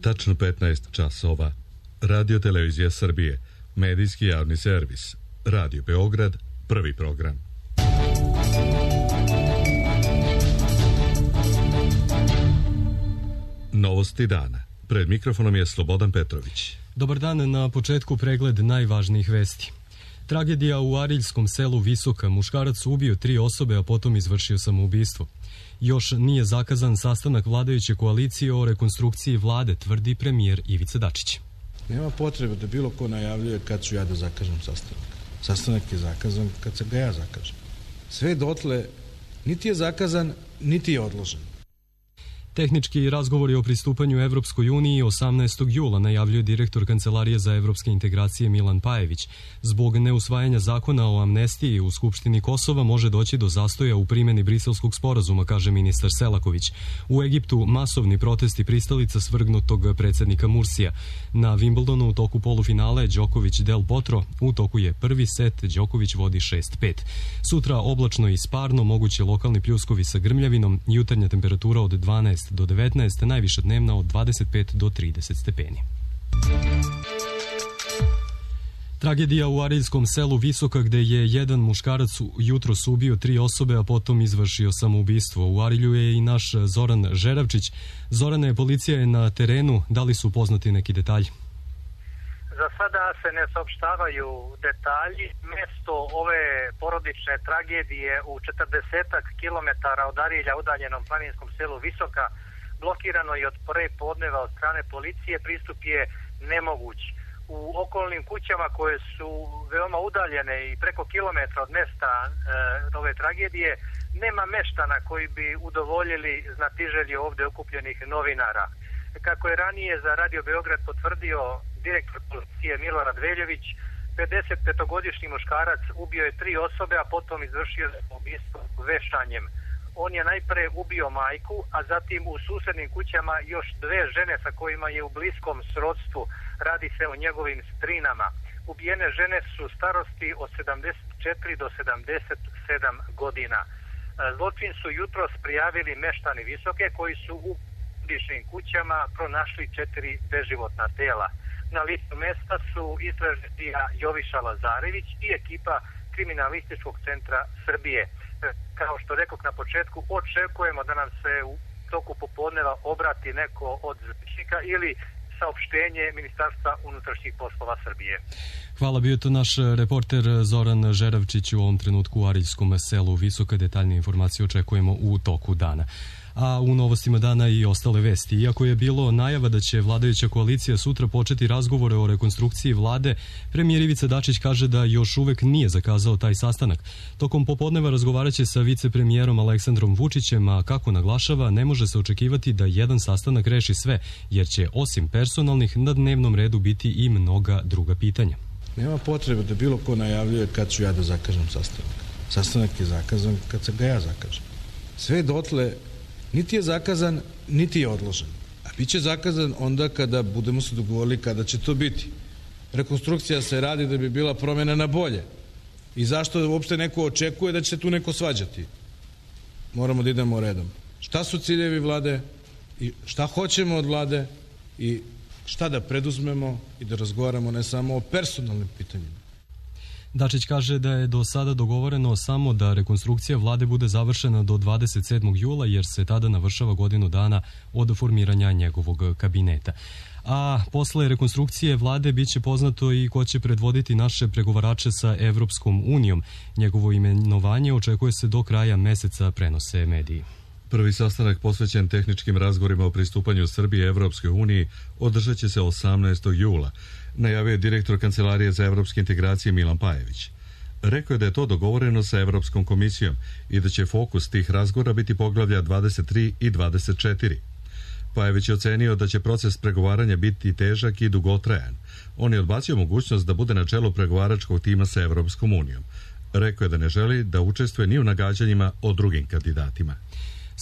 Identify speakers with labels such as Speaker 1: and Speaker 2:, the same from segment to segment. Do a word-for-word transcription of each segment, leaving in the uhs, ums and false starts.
Speaker 1: Tačno petnaest časova. Radio Televizija Srbije, medijski javni servis. Radio Beograd, prvi program. Novosti dana. Pred mikrofonom je Slobodan Petrović.
Speaker 2: Dobar dan, na početku pregled najvažnijih vesti. Tragedija u Ariljskom selu Visoka. Muškarac ubio tri osobe, a potom izvršio samoubistvo. Još nije zakazan sastanak vladajuće koalicije o rekonstrukciji vlade, tvrdi premijer Ivica Dačić.
Speaker 3: Nema potrebe da bilo ko najavljuje kad ću ja da zakažem sastanak. Sastanak je zakazan kad se ga ja zakažem. Sve dotle niti je zakazan, niti je odložen.
Speaker 2: Tehnički razgovori o pristupanju Evropskoj uniji osamnaestog jula najavljuje direktor Kancelarije za evropske integracije Milan Pajević. Zbog neusvajanja zakona o amnestiji u Skupštini Kosova može doći do zastoja u primjeni Briselskog sporazuma, kaže ministar Selaković. U Egiptu masovni protesti pristalica svrgnutog predsjednika Mursija. Na Wimbledonu u toku polufinale Đoković Del Potro, u toku je prvi set, Đoković vodi šest pet. Sutra oblačno i sparno, moguće lokalni pljuskovi sa grmljavinom, jutarnja temperatura od dvanaest do devetnaest, najviša dnevna od dvadeset pet do trideset stepeni. Tragedija u Ariljskom selu Visoka, gde je jedan muškarac jutros ubio tri osobe, a potom izvršio samoubistvo. U Arilju je i naš Zoran Žeravčić. Zorane, policija je na terenu. Da li su poznati neki detalji?
Speaker 4: Za sada se ne saopštavaju detalji. Mesto ove porodične tragedije u četrdesetak kilometara od Arilja, udaljenom planinskom selu Visoka, blokirano je od pre podneva od strane policije. Pristup je nemoguć. U okolnim kućama koje su veoma udaljene i preko kilometra od mesta e, ove tragedije, nema meštana koji bi udovoljili znatiželje ovdje okupljenih novinara. Kako je ranije za Radio Beograd potvrdio direktor policije Milorad Veljović, pedesetpetogodišnji muškarac ubio je tri osobe, a potom izvršio ubistvo vešanjem. On je najpre ubio majku, a zatim u susednim kućama još dve žene sa kojima je u bliskom srodstvu. Radi se o njegovim strinama. Ubijene žene su starosti od sedamdeset četiri do sedamdeset sedam godina. Zločin su jutros prijavili meštani Visoke, koji su u bližnjim kućama pronašli četiri beživotna tela. Na licu mesta su istražitelja Joviša Lazarević i ekipa Kriminalističkog centra Srbije. Kao što rekao na početku, očekujemo da nam se u toku popodneva obrati neko od zvučnika ili saopštenje Ministarstva unutrašnjih poslova Srbije.
Speaker 2: Hvala, bio to naš reporter Zoran Žeravčić u ovom trenutku u Ariljskom selu Visoka. Detaljne informacije očekujemo u toku dana. A u novostima dana i ostale vesti. Iako je bilo najava da će vladajuća koalicija sutra početi razgovore o rekonstrukciji vlade, premijer Ivica Dačić kaže da još uvek nije zakazao taj sastanak. Tokom popodneva razgovaraće sa vicepremijerom Aleksandrom Vučićem, a kako naglašava, ne može se očekivati da jedan sastanak reši sve, jer će osim personalnih na dnevnom redu biti i mnoga druga pitanja.
Speaker 3: Nema potrebe da bilo ko najavljuje kad ću ja da zakažem sastanak. Sastanak je zakazan kad se ga ja zakažem. Sve dotle niti je zakazan, niti je odložen. A bit će zakazan onda kada budemo se dogovorili kada će to biti. Rekonstrukcija se radi da bi bila promjena na bolje. I zašto uopšte neko očekuje da će tu neko svađati? Moramo da idemo redom. Šta su ciljevi vlade i šta hoćemo od vlade i šta da preduzmemo i da razgovaramo ne samo o personalnim pitanjima.
Speaker 2: Dačić kaže da je do sada dogovoreno samo da rekonstrukcija vlade bude završena do dvadeset sedmog jula, jer se tada navršava godinu dana od formiranja njegovog kabineta. A posle rekonstrukcije vlade biće poznato i ko će predvoditi naše pregovarače sa Evropskom unijom. Njegovo imenovanje očekuje se do kraja meseca, prenose mediji.
Speaker 1: Prvi sastanak posvećen tehničkim razgovorima o pristupanju Srbije Evropskoj uniji održat će se osamnaestog jula, najavio je direktor Kancelarije za evropske integracije Milan Pajević. Rekao je da je to dogovoreno sa Evropskom komisijom i da će fokus tih razgovora biti poglavlja dvadeset tri i dvadeset četiri. Pajević je ocenio da će proces pregovaranja biti težak i dugotrajan. On je odbacio mogućnost da bude na čelu pregovaračkog tima sa Evropskom unijom. Rekao je da ne želi da učestvuje ni u nagađanjima o drugim kandidatima.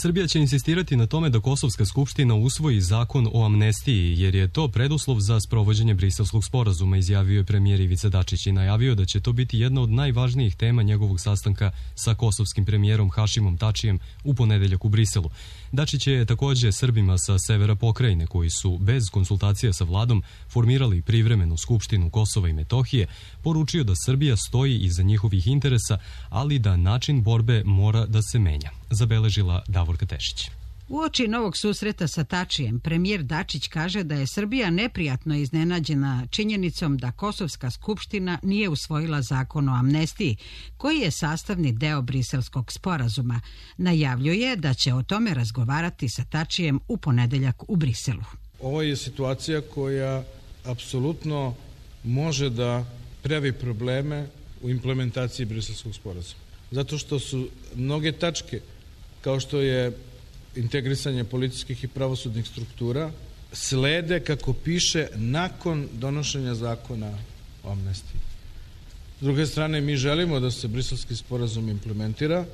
Speaker 2: Srbija će insistirati na tome da Kosovska skupština usvoji zakon o amnestiji, jer je to preduslov za sprovođenje Briselskog sporazuma, izjavio je premijer Ivica Dačić i najavio da će to biti jedna od najvažnijih tema njegovog sastanka sa kosovskim premijerom Hašimom Tačijem u ponedeljak u Briselu. Dačić je takođe Srbima sa severa pokrajine, koji su bez konsultacija sa vladom formirali privremenu skupštinu Kosova i Metohije, poručio da Srbija stoji iza njihovih interesa, ali da način borbe mora da se menja, zabeležila Davorka Tešić.
Speaker 5: Uoči novog susreta sa Tačijem, premijer Dačić kaže da je Srbija neprijatno iznenađena činjenicom da Kosovska skupština nije usvojila zakon o amnestiji, koji je sastavni deo Briselskog sporazuma. Najavljuje da će o tome razgovarati sa Tačijem u ponedeljak u Briselu.
Speaker 3: Ovo je situacija koja apsolutno može da pravi probleme u implementaciji Briselskog sporazuma. Zato što su mnoge tačke, kao što je integrisanje policijskih i pravosudnih struktura, slede, kako piše, nakon donošenja zakona o amnestiji. S druge strane, mi želimo da se Briselski sporazum implementira,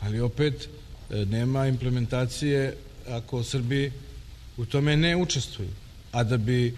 Speaker 3: ali opet nema implementacije ako Srbi u tome ne učestvuju. A da bi e,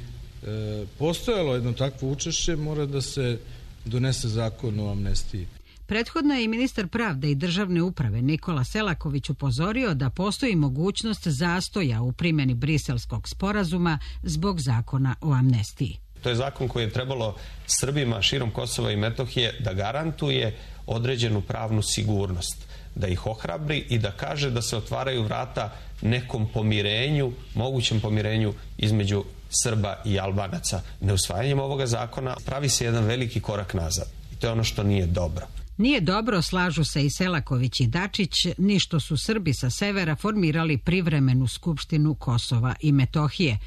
Speaker 3: postojalo jedno takvo učešće, mora da se donese zakon o amnestiji.
Speaker 5: Prethodno je i ministar pravde i državne uprave Nikola Selaković upozorio da postoji mogućnost zastoja u primjeni Briselskog sporazuma zbog zakona o amnestiji.
Speaker 6: To je zakon koji je trebalo Srbima širom Kosova i Metohije da garantuje određenu pravnu sigurnost, da ih ohrabri i da kaže da se otvaraju vrata nekom pomirenju, mogućem pomirenju između Srba i Albanaca. Neusvajanjem ovoga zakona pravi se jedan veliki korak nazad i to je ono što nije dobro.
Speaker 5: Nije dobro, slažu se i Selaković i Dačić, ni što su Srbi sa severa formirali privremenu skupštinu Kosova i Metohije.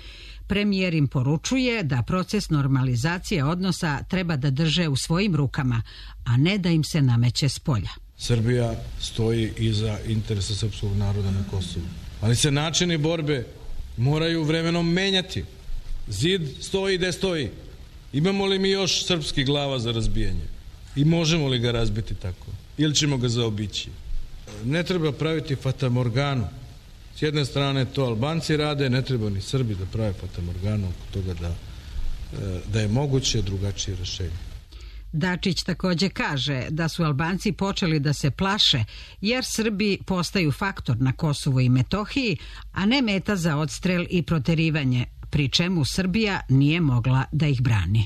Speaker 5: Premijer im poručuje da proces normalizacije odnosa treba da drže u svojim rukama, a ne da im se nameće s polja.
Speaker 3: Srbija stoji iza interesa srpskog naroda na Kosovu. Ali se načini borbe moraju vremenom menjati. Zid stoji gde stoji. Imamo li mi još srpskih glava za razbijanje? I možemo li ga razbiti tako? Ili ćemo ga zaobići? Ne treba praviti fatamorganu. S jedne strane to Albanci rade, ne treba ni Srbi da prave fatamorganu oko toga da, da je moguće drugačije rešenje.
Speaker 5: Dačić takođe kaže da su Albanci počeli da se plaše jer Srbi postaju faktor na Kosovu i Metohiji, a ne meta za odstrel i proterivanje, pri čemu Srbija nije mogla da ih brani.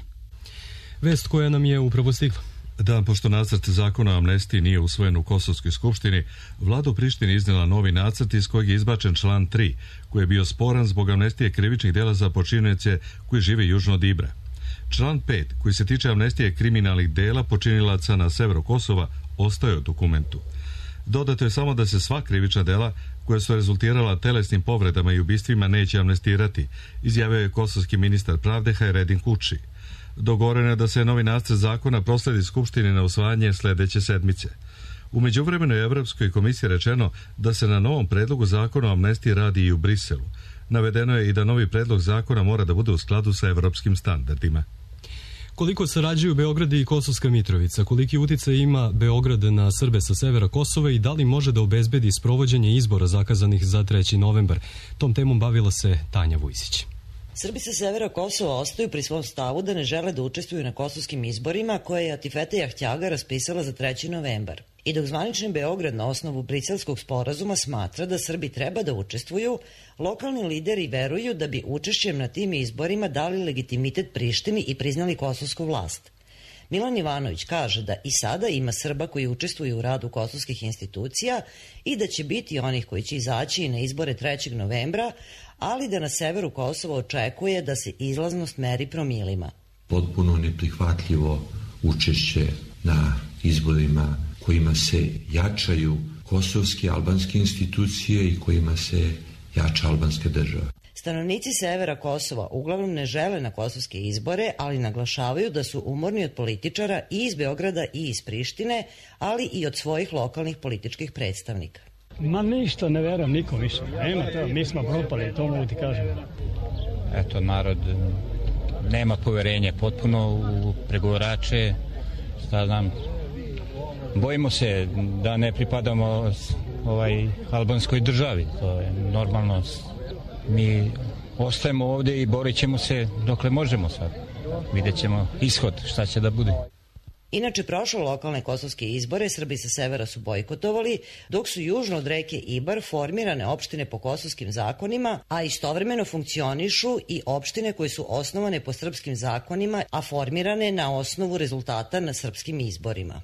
Speaker 2: Vest koja nam je upravo stigla.
Speaker 1: Dan pošto nacrt zakona o amnestiji nije usvojen u Kosovskoj skupštini, vlada u Prištini iznijela novi nacrt iz kojeg je izbačen član tri, koji je bio sporan zbog amnestije krivičnih dela za počinioce koji žive južno od Ibra. Član pet, koji se tiče amnestije kriminalnih dela počinilaca na severu Kosova, ostaje u dokumentu. Dodato je samo da se sva krivična dela koja su rezultirala telesnim povredama i ubistvima neće amnestirati, izjavio je kosovski ministar pravde Hajredin Kuči. Dogovoreno je da se novi nacrt zakona prosledi Skupštini na usvajanje sledeće sedmice. U međuvremenu je Evropskoj komisiji rečeno da se na novom predlogu zakona o amnestiji radi i u Briselu. Navedeno je i da novi predlog zakona mora da bude u skladu sa evropskim standardima.
Speaker 2: Koliko sarađuju Beograd i Kosovska Mitrovica, koliki uticaj ima Beograd na Srbe sa severa Kosova i da li može da obezbedi sprovođenje izbora zakazanih za treći novembar? Tom temom bavila se Tanja Vujsić.
Speaker 7: Srbi sa severa Kosova ostaju pri svom stavu da ne žele da učestvuju na kosovskim izborima koje je Atifete Jahtjaga raspisala za treći novembar. I dok zvanični Beograd na osnovu Briselskog sporazuma smatra da Srbi treba da učestvuju, lokalni lideri veruju da bi učešćem na tim izborima dali legitimitet Prištini i priznali kosovsku vlast. Milan Ivanović kaže da i sada ima Srba koji učestvuju u radu kosovskih institucija i da će biti onih koji će izaći na izbore trećeg novembra, ali da na severu Kosova očekuje da se izlaznost meri promilima.
Speaker 8: Potpuno neprihvatljivo učešće na izborima kojima se jačaju kosovske albanske institucije i kojima se jača albanska država.
Speaker 7: Stanovnici severa Kosova uglavnom ne žele na kosovske izbore, ali naglašavaju da su umorni od političara i iz Beograda i iz Prištine, ali i od svojih lokalnih političkih predstavnika.
Speaker 9: Ma ništa, ne verujem nikom više. Nema to, mi smo propali, to mogu ti kažem.
Speaker 10: Eto, narod nema poverenje potpuno u pregovarače, šta znam, bojimo se da ne pripadamo ovaj albanskoj državi. To je normalno. Mi ostajemo ovdje i borit ćemo se dokle možemo sad. Vidjet ćemo ishod, šta će da bude.
Speaker 7: Inače, prošle lokalne kosovske izbore Srbi sa severa su bojkotovali, dok su južno od reke Ibar formirane opštine po kosovskim zakonima, a istovremeno funkcionišu i opštine koje su osnovane po srpskim zakonima, a formirane na osnovu rezultata na srpskim izborima.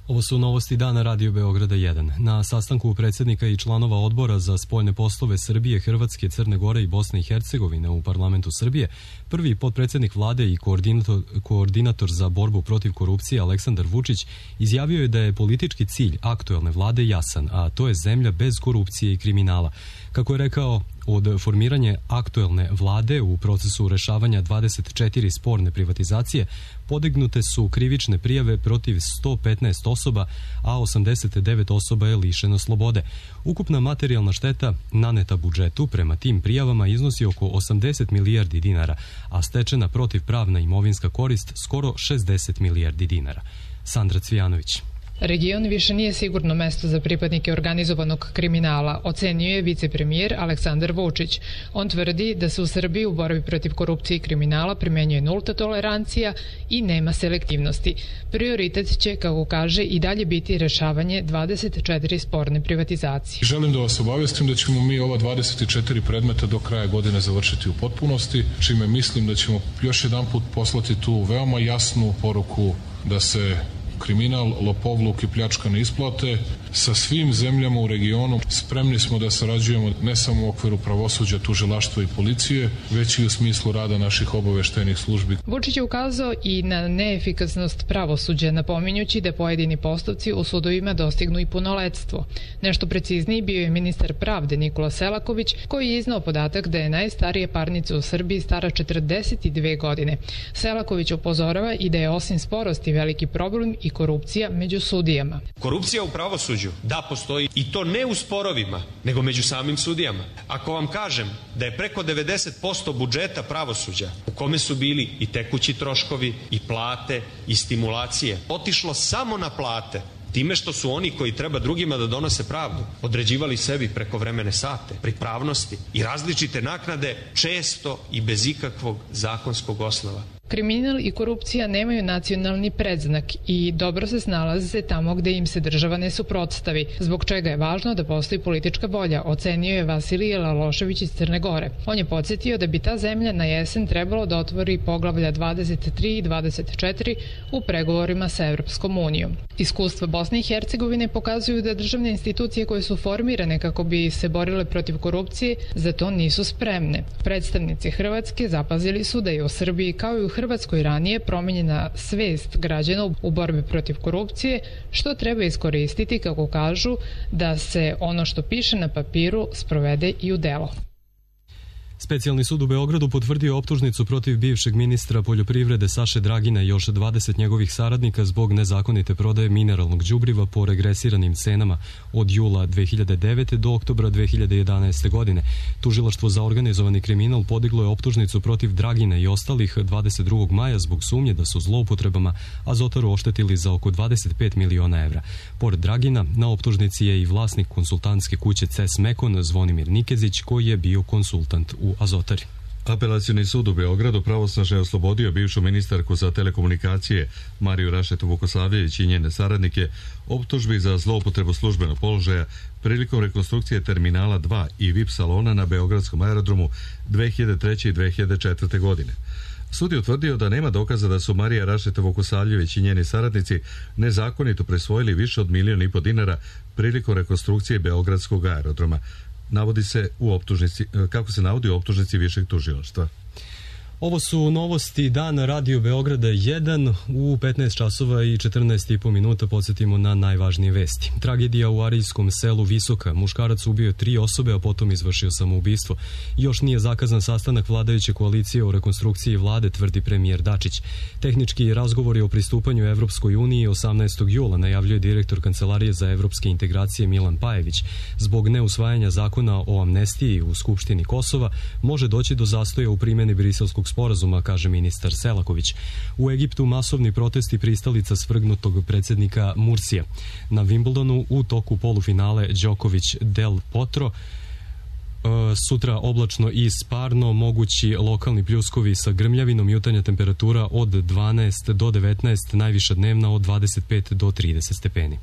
Speaker 2: Ovo su novosti dana Radio Beograda jedan. Na sastanku predsjednika i članova odbora za spoljne poslove Srbije, Hrvatske, Crne Gore i Bosne i Hercegovine u parlamentu Srbije, prvi potpredsjednik vlade i koordinator, koordinator za borbu protiv korupcije Aleksandar Vučić izjavio je da je politički cilj aktuelne vlade jasan, a to je zemlja bez korupcije i kriminala. Kako je rekao, od formiranja aktuelne vlade u procesu rešavanja dvadeset četiri sporne privatizacije podignute su krivične prijave protiv sto petnaest osoba, a osamdeset devet osoba je lišeno slobode. Ukupna materijalna šteta naneta budžetu prema tim prijavama iznosi oko osamdeset milijardi dinara, a stečena protivpravna imovinska korist skoro šezdeset milijardi dinara. Sandra Cvijanović.
Speaker 11: Region više nije sigurno mesto za pripadnike organizovanog kriminala, ocenjuje vicepremijer Aleksandar Vučić. On tvrdi da se u Srbiji u borbi protiv korupcije i kriminala primenjuje nulta tolerancija i nema selektivnosti. Prioritet će, kako kaže, i dalje biti rešavanje dvadeset četiri sporne privatizacije.
Speaker 12: Želim da vas obavestim da ćemo mi ova dvadeset četiri predmeta do kraja godine završiti u potpunosti, čime mislim da ćemo još jedan put poslati tu veoma jasnu poruku da se kriminal, lopovluk i pljačka ne isplate. Sa svim zemljama u regionu spremni smo da sarađujemo ne samo u okviru pravosuđa, tužilaštva i policije, već i u smislu rada naših obaveštajnih službi.
Speaker 11: Vučić je ukazao i na neefikasnost pravosuđa, napominjući da pojedini postupci u sudovima dostignu i punoletstvo. Nešto precizniji bio je ministar pravde Nikola Selaković, koji je iznao podatak da je najstarija parnica u Srbiji stara četrdeset dve godine. Selaković upozorava i da je osim sporosti veliki problem i korupcija među sudijama.
Speaker 13: Korupcija u pravosuđu, da, postoji, i to ne u sporovima, nego među samim sudijama. Ako vam kažem da je preko devedeset posto budžeta pravosuđa, u kome su bili i tekući troškovi, i plate, i stimulacije, otišlo samo na plate, time što su oni koji treba drugima da donose pravdu određivali sebi prekovremene sate, pripravnosti i različite naknade, često i bez ikakvog zakonskog osnova.
Speaker 11: Kriminal i korupcija nemaju nacionalni predznak i dobro se snalaze tamo gde im se država ne suprotstavi, zbog čega je važno da postoji politička volja, ocenio je Vasilije Lalošević iz Crne Gore. On je podsjetio da bi ta zemlja na jesen trebalo da otvori poglavlja dvadeset tri i dvadeset četiri u pregovorima sa Evropskom unijom. Iskustva Bosne i Hercegovine pokazuju da državne institucije koje su formirane kako bi se borile protiv korupcije za to nisu spremne. Predstavnici Hrvatske zapazili su da je u Srbiji kao i u Hrvatskoj ranije promenjena svest građana u borbi protiv korupcije, što treba iskoristiti, kako kažu, da se ono što piše na papiru sprovede i u delo.
Speaker 2: Specijalni sud u Beogradu potvrdio optužnicu protiv bivšeg ministra poljoprivrede Saše Dragina i još dvadeset njegovih saradnika zbog nezakonite prodaje mineralnog đubriva po regresiranim cenama od jula dve hiljade devete. do oktobra dve hiljade jedanaeste. godine. Tužilaštvo za organizovani kriminal podiglo je optužnicu protiv Dragina i ostalih dvadeset drugog maja zbog sumnje da su zloupotrebama Azotaru oštetili za oko dvadeset pet miliona evra. Pored Dragina, na optužnici je i vlasnik konsultantske kuće C E S Mekon Zvonimir Nikezić, koji je bio konsultant u Azotari.
Speaker 1: Apelacioni sud u Beogradu pravosnažno je oslobodio bivšu ministarku za telekomunikacije Mariju Rašetu Vukosavljević i njene saradnike optužbi za zloupotrebu službenog položaja prilikom rekonstrukcije terminala dva i V I P salona na beogradskom aerodromu dve hiljade treće. i dve hiljade četvrte. godine. Sud je utvrdio da nema dokaza da su Marija Rašeta Vukosavljević i njeni saradnici nezakonito presvojili više od milijon i po dinara prilikom rekonstrukcije beogradskog aerodroma. Navodi se u optužnici, kako se navodi u optužnici višeg tužilaštva.
Speaker 2: Ovo su novosti dana Radio Beograda jedan u petnaest časova i četrnaest i po minuta. Podsjetimo na najvažnije vesti. Tragedija u arijskom selu Visoka. Muškarac ubio tri osobe, a potom izvršio samoubistvo. Još nije zakazan sastanak vladajuće koalicije o rekonstrukciji vlade, tvrdi premijer Dačić. Tehnički razgovori o pristupanju Evropskoj uniji osamnaestog jula najavljuje direktor Kancelarije za evropske integracije Milan Pajević. Zbog neusvajanja zakona o amnestiji u Skupštini Kosova može doći do zastoja u primjeni Briselskog sporazuma, kaže ministar Selaković. U Egiptu masovni protesti pristalica svrgnutog predsjednika Mursija. Na Wimbledonu u toku polufinale Đoković Del Potro. Sutra oblačno i sparno, mogući lokalni pljuskovi sa grmljavinom, jutarnja temperatura od dvanaest do devetnaest, najviša dnevna od dvadeset pet do trideset stepeni.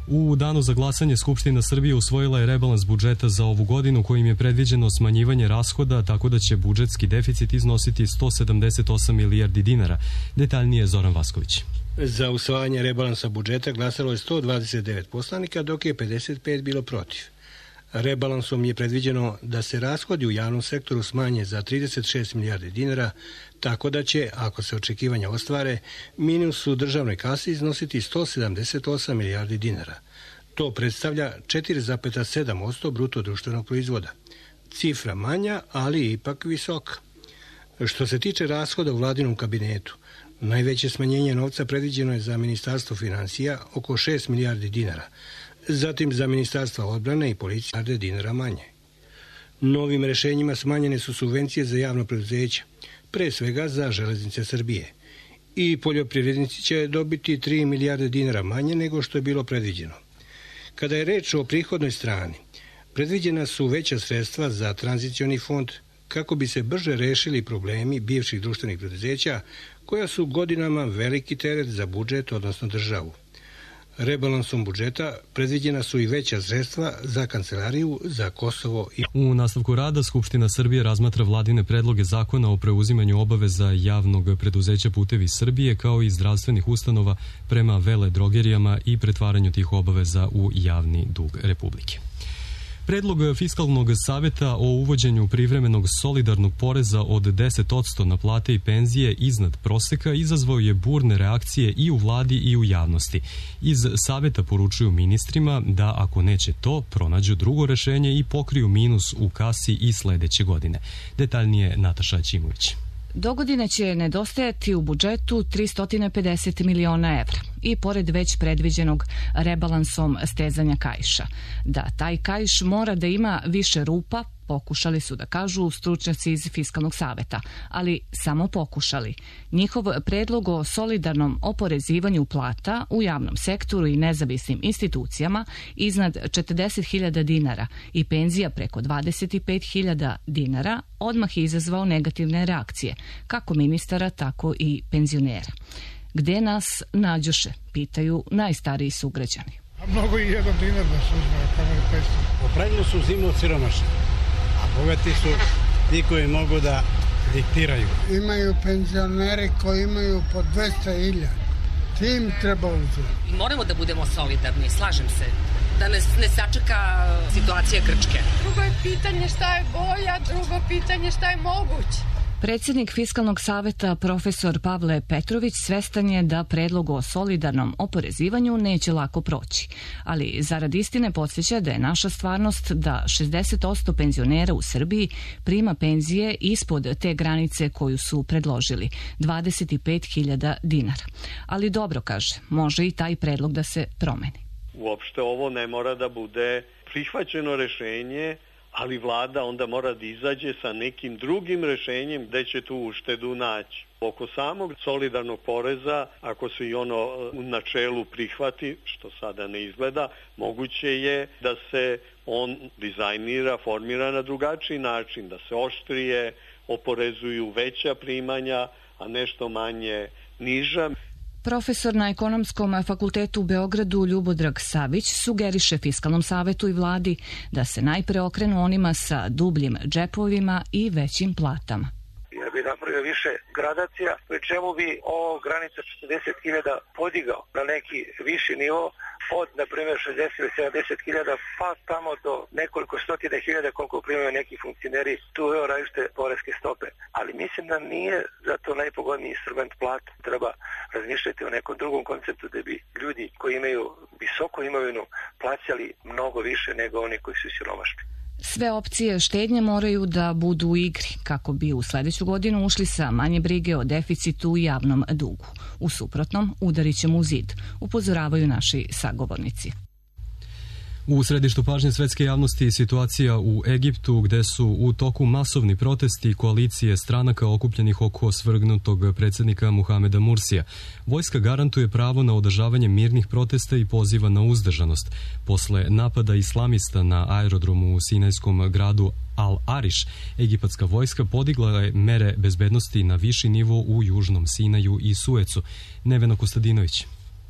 Speaker 2: U danu za glasanje Skupština Srbije usvojila je rebalans budžeta za ovu godinu kojim je predviđeno smanjivanje rashoda, tako da će budžetski deficit iznositi sto sedamdeset osam milijardi dinara. Detaljnije Zoran Vasković.
Speaker 14: Za usvajanje rebalansa budžeta glasalo je sto dvadeset devet poslanika, dok je pedeset pet bilo protiv. Rebalansom je predviđeno da se rashodi u javnom sektoru smanje za trideset šest milijardi dinara, tako da će, ako se očekivanja ostvare, minus u državnoj kasi iznositi sto sedamdeset osam milijardi dinara. To predstavlja četiri zarez sedam posto bruto društvenog proizvoda. Cifra manja, ali ipak visoka. Što se tiče rashoda u vladinom kabinetu, najveće smanjenje novca predviđeno je za Ministarstvo finansija, oko šest milijardi dinara, zatim za Ministarstva odbrane i policije milijarde dinara manje. Novim rešenjima smanjene su subvencije za javno preduzeće, pre svega za Železnice Srbije. I poljoprivrednici će dobiti tri milijarde dinara manje nego što je bilo predviđeno. Kada je reč o prihodnoj strani, predviđena su veća sredstva za tranzicioni fond kako bi se brže rešili problemi bivših društvenih preduzeća koja su godinama veliki teret za budžet, odnosno državu. Rebalansom budžeta predviđena su i veća sredstva za Kancelariju za Kosovo i...
Speaker 2: U nastavku rada Skupština Srbije razmatra vladine predloge zakona o preuzimanju obaveza javnog preduzeća Putevi Srbije kao i zdravstvenih ustanova prema veledrogerijama i pretvaranju tih obaveza u javni dug Republike. Predlog Fiskalnog saveta o uvođenju privremenog solidarnog poreza od deset posto na plate i penzije iznad proseka izazvao je burne reakcije i u vladi i u javnosti. Iz saveta poručuju ministrima da ako neće to, pronađu drugo rešenje i pokriju minus u kasi i sledeće godine. Detaljnije Nataša Ćimović.
Speaker 15: Dogodine će nedostajati u budžetu tristo pedeset miliona evra i pored već predviđenog rebalansom stezanja kaiša. Da taj kaiš mora da ima više rupa, pokušali su da kažu stručnjaci iz Fiskalnog saveta, ali samo pokušali. Njihov predlog o solidarnom oporezivanju plata u javnom sektoru i nezavisnim institucijama iznad četrdeset hiljada dinara i penzija preko dvadeset pet hiljada dinara odmah je izazvao negativne reakcije, kako ministara, tako i penzionera. Gde nas nađoše, pitaju najstariji sugrađani.
Speaker 16: A mnogo i jedan dinar da se uzme na kameru petsto.
Speaker 17: Po pravilu su zimno siromašni, a bogati su ti koji mogu da diktiraju.
Speaker 16: Imaju penzioneri koji imaju po dvesta hiljada. Tim treba uzeti.
Speaker 18: Moramo da budemo solidarni, slažem se. Da nas ne sačeka situacija Grčke.
Speaker 19: Drugo je pitanje šta je bolja, drugo pitanje šta je moguće.
Speaker 15: Predsjednik Fiskalnog saveta profesor Pavle Petrović svestan je da predlog o solidarnom oporezivanju neće lako proći, ali zarad istine podsjeća da je naša stvarnost da šezdeset posto penzionera u Srbiji prima penzije ispod te granice koju su predložili, dvadeset pet hiljada dinara. Ali dobro, kaže, može i taj predlog da se promeni.
Speaker 20: Uopšte ovo ne mora da bude prihvaćeno rešenje, ali vlada onda mora da izađe sa nekim drugim rešenjem gde će tu uštedu naći. Oko samog solidarnog poreza, ako se i ono u načelu prihvati, što sada ne izgleda, moguće je da se on dizajnira, formira na drugačiji način, da se oštrije oporezuju veća primanja, a nešto manje niža.
Speaker 15: Profesor na Ekonomskom fakultetu u Beogradu Ljubodrag Savić sugeriše Fiskalnom savetu i vladi da se najpre okrenu onima sa dubljim džepovima i većim platama.
Speaker 21: Ja bi napravio više gradacija, pri čemu bi ovo granica četrdeset hiljada podigao na neki viši nivo od, na primjer, šezdeset ili sedamdeset hiljada, pa tamo do nekoliko stotine hiljada koliko primaju neki funkcioneri, tu je različite poreske stope. Ali mislim da nije zato najpogodniji instrument plat. Treba razmišljati o nekom drugom konceptu da bi ljudi koji imaju visoku imovinu plaćali mnogo više nego oni koji su siromašni.
Speaker 15: Sve opcije štednje moraju da budu u igri kako bi u sledeću godinu ušli sa manje brige o deficitu i javnom dugu. U suprotnom, udarit ćemo u zid, upozoravaju naši sagovornici.
Speaker 2: U središtu pažnje svetske javnosti situacija u Egiptu, gde su u toku masovni protesti koalicije stranaka okupljenih oko svrgnutog predsjednika Muhameda Mursija. Vojska garantuje pravo na održavanje mirnih protesta i poziva na uzdržanost. Posle napada islamista na aerodromu u sinajskom gradu Al-Ariš, egipatska vojska podigla je mere bezbednosti na viši nivo u Južnom Sinaju i Suecu. Nevena Kostadinović.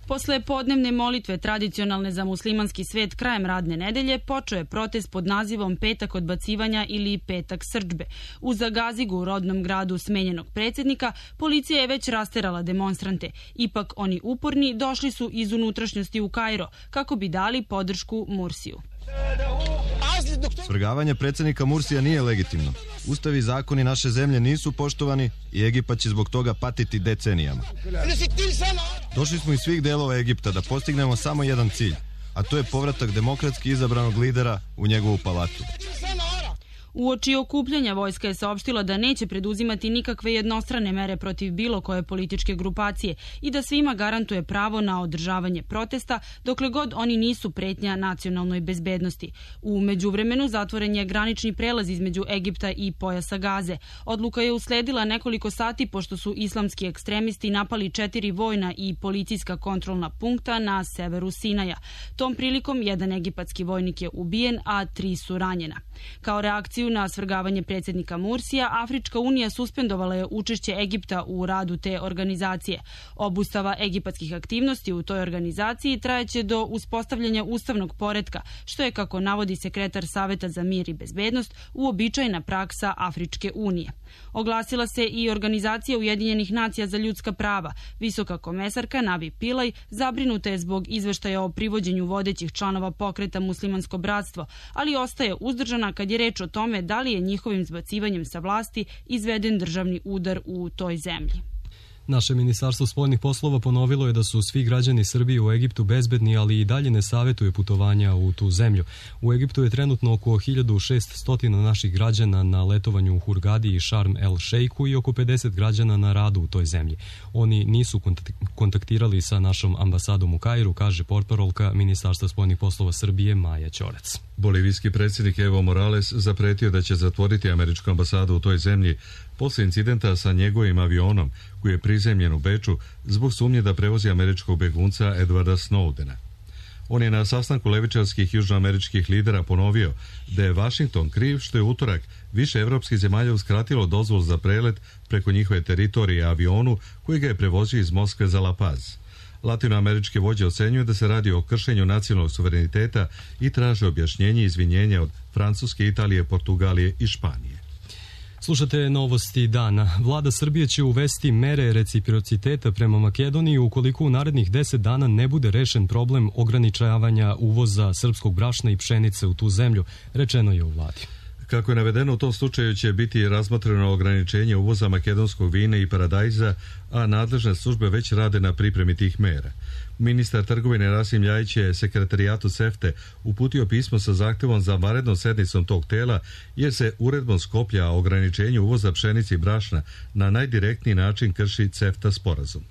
Speaker 4: Posle podnevne molitve tradicionalne za muslimanski svet krajem radne nedelje počeo je protest pod nazivom Petak odbacivanja ili Petak srdžbe. U Zagazigu, u rodnom gradu smenjenog predsjednika, policija je već rasterala demonstrante. Ipak oni uporni došli su iz unutrašnjosti u Kairo kako bi dali podršku Mursiju.
Speaker 22: Svrgavanje predsjednika Mursija nije legitimno. Ustavi i zakoni naše zemlje nisu poštovani i Egipat će zbog toga patiti decenijama. Došli smo iz svih delova Egipta da postignemo samo jedan cilj, a to je povratak demokratski izabranog lidera u njegovu palatu.
Speaker 4: Uoči okupljanja vojska je saopštila da neće preduzimati nikakve jednostrane mere protiv bilo koje političke grupacije i da svima garantuje pravo na održavanje protesta dokle god oni nisu pretnja nacionalnoj bezbednosti. U međuvremenu zatvoren je granični prelaz između Egipta i pojasa Gaze. Odluka je usledila nekoliko sati pošto su islamski ekstremisti napali četiri vojna i policijska kontrolna punkta na severu Sinaja. Tom prilikom jedan egipatski vojnik je ubijen, a tri su ranjena. Kao reakciju na svrgavanje predsjednika Mursija, Afrička unija suspendovala je učešće Egipta u radu te organizacije. Obustava egipatskih aktivnosti u toj organizaciji trajeće do uspostavljanja ustavnog poretka, što je, kako navodi sekretar Saveta za mir i bezbednost, uobičajena praksa Afričke unije. Oglasila se i Organizacija Ujedinjenih nacija za ljudska prava. Visoka komesarka Navi Pillay zabrinuta je zbog izveštaja o privođenju vodećih članova pokreta Muslimansko bratstvo, ali ostaje uzdržana kad je reč o tome da li je njihovim zbacivanjem sa vlasti izveden državni udar u toj zemlji.
Speaker 2: Naše ministarstvo spoljnih poslova ponovilo je da su svi građani Srbije u Egiptu bezbedni, ali i dalje ne savjetuje putovanja u tu zemlju. U Egiptu je trenutno oko hiljadu šeststo naših građana na letovanju u Hurgadi i Šarm el Šejku i oko pedeset građana na radu u toj zemlji. Oni nisu kontaktirali sa našom ambasadom u Kairu, kaže portparolka Ministarstva spoljnih poslova Srbije Maja Ćorac.
Speaker 1: Bolivijski predsjednik Evo Morales zapretio da će zatvoriti američku ambasadu u toj zemlji posle incidenta sa njegovim avionom koji je prizemljen u Beču zbog sumnje da prevozi američkog begunca Edwarda Snowdena. On je na sastanku levičarskih južnoameričkih lidera ponovio da je Vašington kriv što je utorak više evropskih zemalja uskratilo dozvolu za prelet preko njihove teritorije avionu koji ga je prevozio iz Moskve za La Paz. Latinoameričke vođe ocenjuju da se radi o kršenju nacionalnog suvereniteta i traže objašnjenje i izvinjenja od Francuske, Italije, Portugalije i Španije.
Speaker 2: Slušate novosti dana. Vlada Srbije će uvesti mere reciprociteta prema Makedoniji ukoliko u narednih deset dana ne bude rešen problem ograničavanja uvoza srpskog brašna i pšenice u tu zemlju, rečeno je u vladi.
Speaker 1: Kako je navedeno, u tom slučaju će biti razmotreno ograničenje uvoza makedonskog vina i paradajza, a nadležne službe već rade na pripremi tih mera. Ministar trgovine Rasim Ljajić je sekretarijatu SEFTE uputio pismo sa zahtevom za vanrednom sednicom tog tela, jer se uredbom Skoplja o ograničenju uvoza pšenice i brašna na najdirektniji način krši CEFTA sporazum.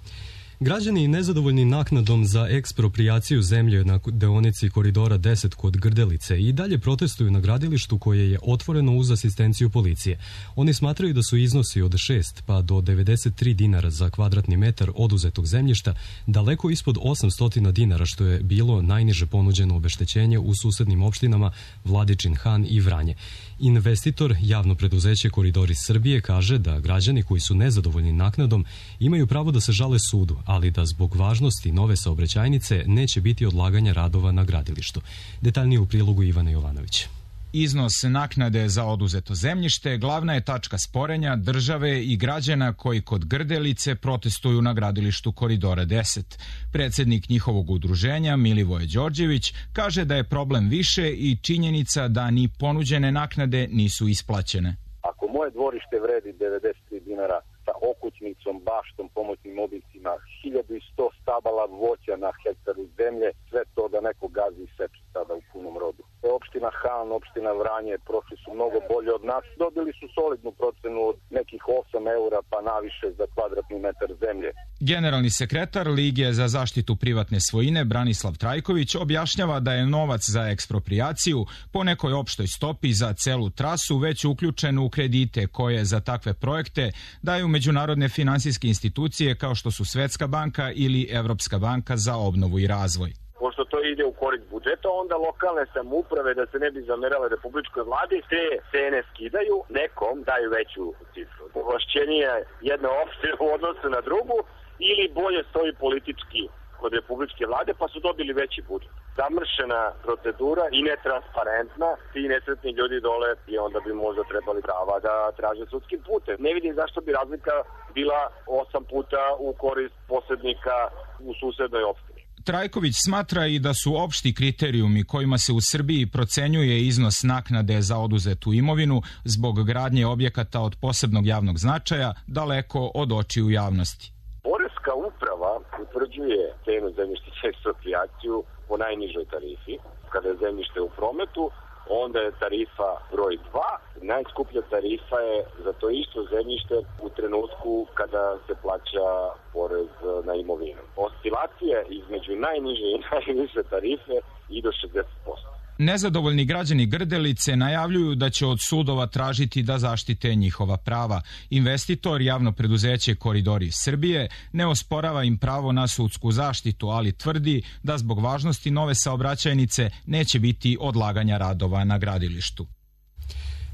Speaker 2: Građani nezadovoljni naknadom za eksproprijaciju zemlje na deonici Koridora deset kod Grdelice i dalje protestuju na gradilištu koje je otvoreno uz asistenciju policije. Oni smatraju da su iznosi od šest pa do devedeset tri dinara za kvadratni metar oduzetog zemljišta daleko ispod osamsto dinara, što je bilo najniže ponuđeno obeštećenje u susednim opštinama Vladičin Han i Vranje. Investitor, javno preduzeće Koridori Srbije, kaže da građani koji su nezadovoljni naknadom imaju pravo da se žale sudu, ali da zbog važnosti nove saobraćajnice neće biti odlaganja radova na gradilištu. Detaljnije u prilogu Ivana Jovanović.
Speaker 23: Iznos naknade za oduzeto zemljište glavna je tačka sporenja države i građana koji kod Grdelice protestuju na gradilištu Koridora deset. Predsjednik njihovog udruženja Milivoje Đorđević kaže da je problem više i činjenica da ni ponuđene naknade nisu isplaćene.
Speaker 24: Ako moje dvorište vredi devedeset tri dinara sa okućnicom, baštom, pomoćnim objektima, hiljadu sto stabala voća na hektaru zemlje, sve to da neko gazi i seče sada u punom rodu. Opština Han, opština Vranje prošli su mnogo bolje od nas. Dobili su solidnu procenu od nekih osam eura pa naviše za kvadratni metar zemlje.
Speaker 23: Generalni sekretar Lige za zaštitu privatne svojine Branislav Trajković objašnjava da je novac za eksproprijaciju po nekoj opštoj stopi za celu trasu već uključen u kredite koje za takve projekte daju međunarodne finansijske institucije kao što su Svetska banka ili Evropska banka za obnovu i razvoj.
Speaker 24: Pošto to ide u korist budžeta, onda lokalne samouprave, da se ne bi zamerale republičkoj vladi, te cene skidaju, nekom daju veću cifru. Ovlašćenije jedna opština u odnosu na drugu ili bolje stoji politički kod republičke vlade, pa su dobili veći budžet. Zamršena procedura i netransparentna, ti nesretni ljudi dole i onda bi možda trebali prava da traže sudskim putem. Ne vidim zašto bi razlika bila osam puta u korist posrednika u susednoj opštini.
Speaker 23: Trajković smatra i da su opšti kriterijumi kojima se u Srbiji procenjuje iznos naknade za oduzetu imovinu zbog gradnje objekata od posebnog javnog značaja daleko od očiju javnosti.
Speaker 24: Poreska uprava utvrđuje cenu zemljišta za eksproprijaciju po najnižoj tarifi. Kada je zemljište u prometu, onda je tarifa broj dva. Najskuplja tarifa je za to isto zemljište u trenutku kada se plaća porez na imovinu. Oscilacije između najniže i najviše tarife i do šezdeset posto.
Speaker 23: Nezadovoljni građani Grdelice najavljuju da će od sudova tražiti da zaštite njihova prava. Investitor, javno preduzeće Koridori Srbije, ne osporava im pravo na sudsku zaštitu, ali tvrdi da zbog važnosti nove saobraćajnice neće biti odlaganja radova na gradilištu.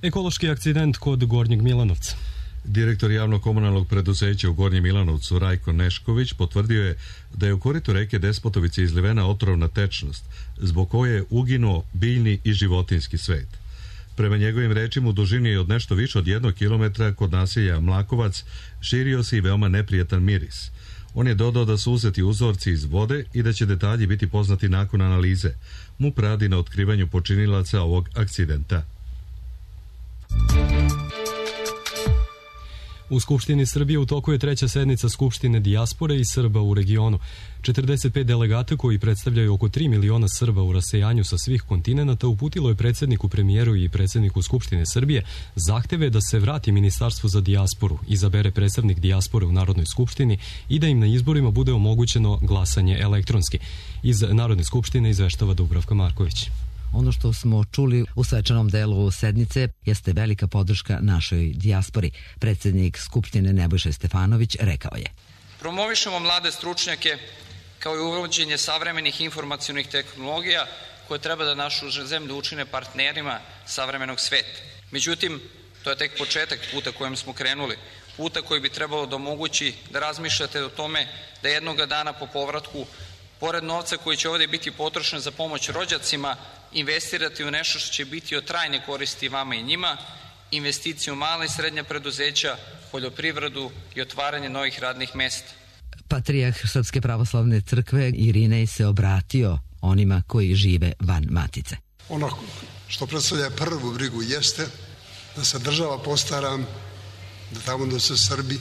Speaker 2: Ekološki akcident kod Gornjeg Milanovca.
Speaker 1: Direktor javno-komunalnog preduzeća u Gornjem Milanovcu Rajko Nešković potvrdio je da je u koritu reke Despotovice izlivena otrovna tečnost, zbog koje je uginuo biljni i životinjski svet. Prema njegovim rečima, u dužini od nešto više od jednog kilometra kod naselja Mlakovac širio se i veoma neprijetan miris. On je dodao da su uzeti uzorci iz vode i da će detalji biti poznati nakon analize. MUP radi na otkrivanju počinilaca ovog akcidenta.
Speaker 2: U Skupštini Srbije u toku je treća sednica Skupštine dijaspore i Srba u regionu. četrdeset pet delegata koji predstavljaju oko tri miliona Srba u rasejanju sa svih kontinenata uputilo je predsjedniku, premijeru i predsjedniku Skupštine Srbije zahteve da se vrati Ministarstvo za dijasporu, izabere predstavnik dijaspore u Narodnoj skupštini i da im na izborima bude omogućeno glasanje elektronski. Iz Narodne skupštine izveštava Dubravka Marković.
Speaker 3: Ono što smo čuli u svečanom delu sednice jeste velika podrška našoj dijaspori. Predsjednik Skupštine Nebojša Stefanović rekao je:
Speaker 5: Promovišemo mlade stručnjake kao i uvođenje savremenih informacionih tehnologija koje treba da našu zemlju učine partnerima savremenog sveta. Međutim, to je tek početak puta kojem smo krenuli. Puta koji bi trebalo da omogući da razmišljate o tome da jednoga dana po povratku, pored novca koji će ovdje biti potrošen za pomoć rođacima, investirati u nešto što će biti od trajne koristi vama i njima, investiciju u mala i srednja preduzeća, poljoprivredu i otvaranje novih radnih mesta.
Speaker 3: Patrijah Srpske pravoslavne crkve Irinej se obratio onima koji žive van matice.
Speaker 6: Ono što predstavlja prvu brigu jeste da se država postara da tamo da se Srbi,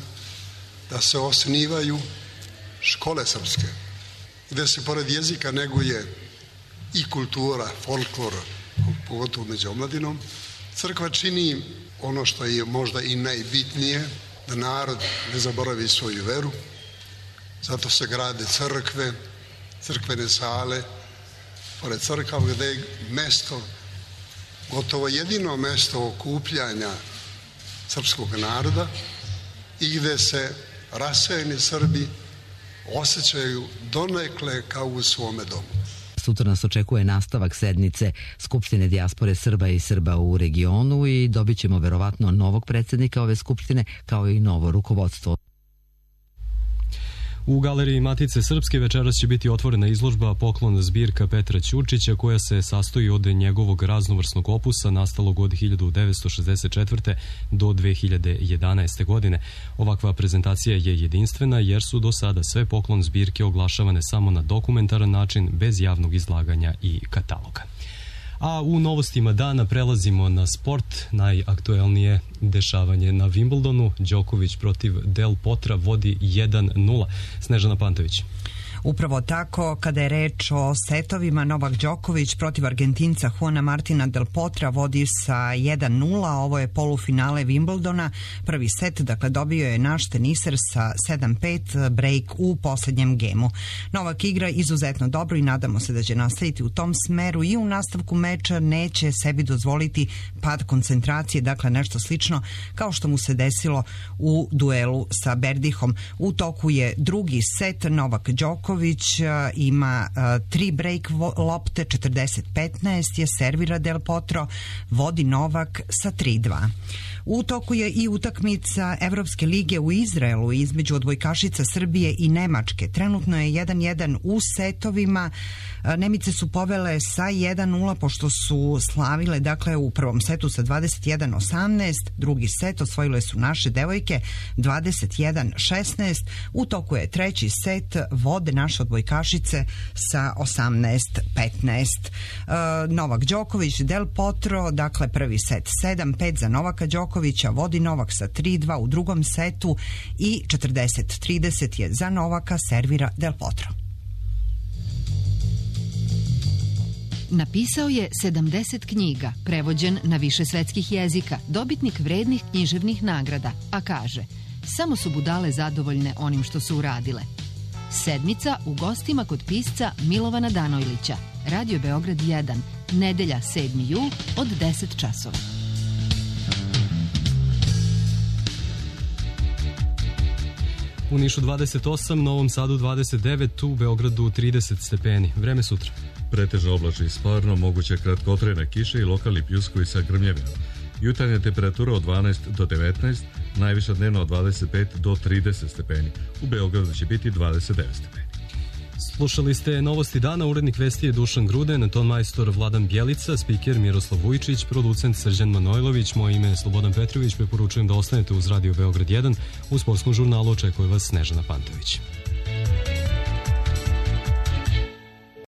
Speaker 6: da se osnivaju škole srpske, gde se pored jezika neguje i kultura, folklor, pogotovo među omladinom. Crkva čini ono što je možda i najbitnije, da narod ne zaboravi svoju veru. Zato se grade crkve, crkvene sale, pored crkava gde je mesto, gotovo jedino mesto okupljanja srpskog naroda i gde se rasejeni Srbi osjećaju donekle kao u svome domu.
Speaker 3: Sutra nas očekuje nastavak sednice Skupštine dijaspore Srba i Srba u regionu i dobit ćemo verovatno novog predsjednika ove skupštine kao i novo rukovodstvo.
Speaker 2: U galeriji Matice Srpske večeras će biti otvorena izložba Poklon zbirka Petra Ćurčića koja se sastoji od njegovog raznovrsnog opusa nastalog od hiljadu devetsto šezdeset četvrte. do dve hiljade jedanaeste. godine. Ovakva prezentacija je jedinstvena jer su do sada sve Poklon zbirke oglašavane samo na dokumentaran način bez javnog izlaganja i kataloga. A u novostima dana prelazimo na sport. Najaktuelnije dešavanje na Wimbledonu. Đoković protiv Del Potra vodi jedan nula. Snežana Pantović.
Speaker 7: Upravo tako, kada je reč o setovima, Novak Đoković protiv Argentinca Juana Martina Del Potra vodi sa jedan nula, ovo je polufinale Wimbledona, prvi set, dakle dobio je naš teniser sa sedam pet, break u poslednjem gemu. Novak igra izuzetno dobro i nadamo se da će nastaviti u tom smeru i u nastavku meča neće sebi dozvoliti pad koncentracije, dakle nešto slično kao što mu se desilo u duelu sa Berdihom. U toku je drugi set, Novak Đoković ima uh, tri break lopte, četrdeset petnaest je servira Del Potro, vodi Novak sa tri dva. U toku je i utakmica Evropske lige u Izraelu između odbojkašica Srbije i Nemačke. Trenutno je jedan jedan u setovima. Nemice su povele sa jedan nula pošto su slavile, dakle, u prvom setu sa dvadeset jedan osamnaest, drugi set osvojile su naše devojke dvadeset jedan šesnaest. U toku je treći set, vode naše odbojkašice sa osamnaest petnaest. Novak Đoković, Del Potro, dakle prvi set sedam pet za Novaka Đokovića, vodi Novak sa tri dva u drugom setu i četrdeset trideset je za Novaka, servira Del Potro.
Speaker 8: Napisao je sedamdeset knjiga, prevođen na više svetskih jezika, dobitnik vrednih književnih nagrada, a kaže: samo su budale zadovoljne onim što su uradile. Sedmica u gostima kod pisca Milovana Danojlića. Radio Beograd jedan, nedelja sedmi jul od deset časova.
Speaker 2: U Nišu dvadeset osam, Novom Sadu dvadeset devet, u Beogradu trideset stepeni. Vreme sutra.
Speaker 1: Pretežno oblačno i sparno, moguće kratkotrajne kiše i lokalni pljuskovi sa grmljavinom. Jutarnja temperatura od dvanaest do devetnaest, najviša dnevno od dvadeset pet do trideset stepeni. U Beogradu će biti dvadeset devet stepeni.
Speaker 2: Slušali ste Novosti dana, urednik vesti je Dušan Gruden, ton majstor Vladan Bjelica, spiker Miroslav Vujčić, producent Srđan Manojlović, moje ime je Slobodan Petrović, preporučujem da ostanete uz Radio Beograd jedan, u sportskom žurnalu očekuje vas Snežana Pantović.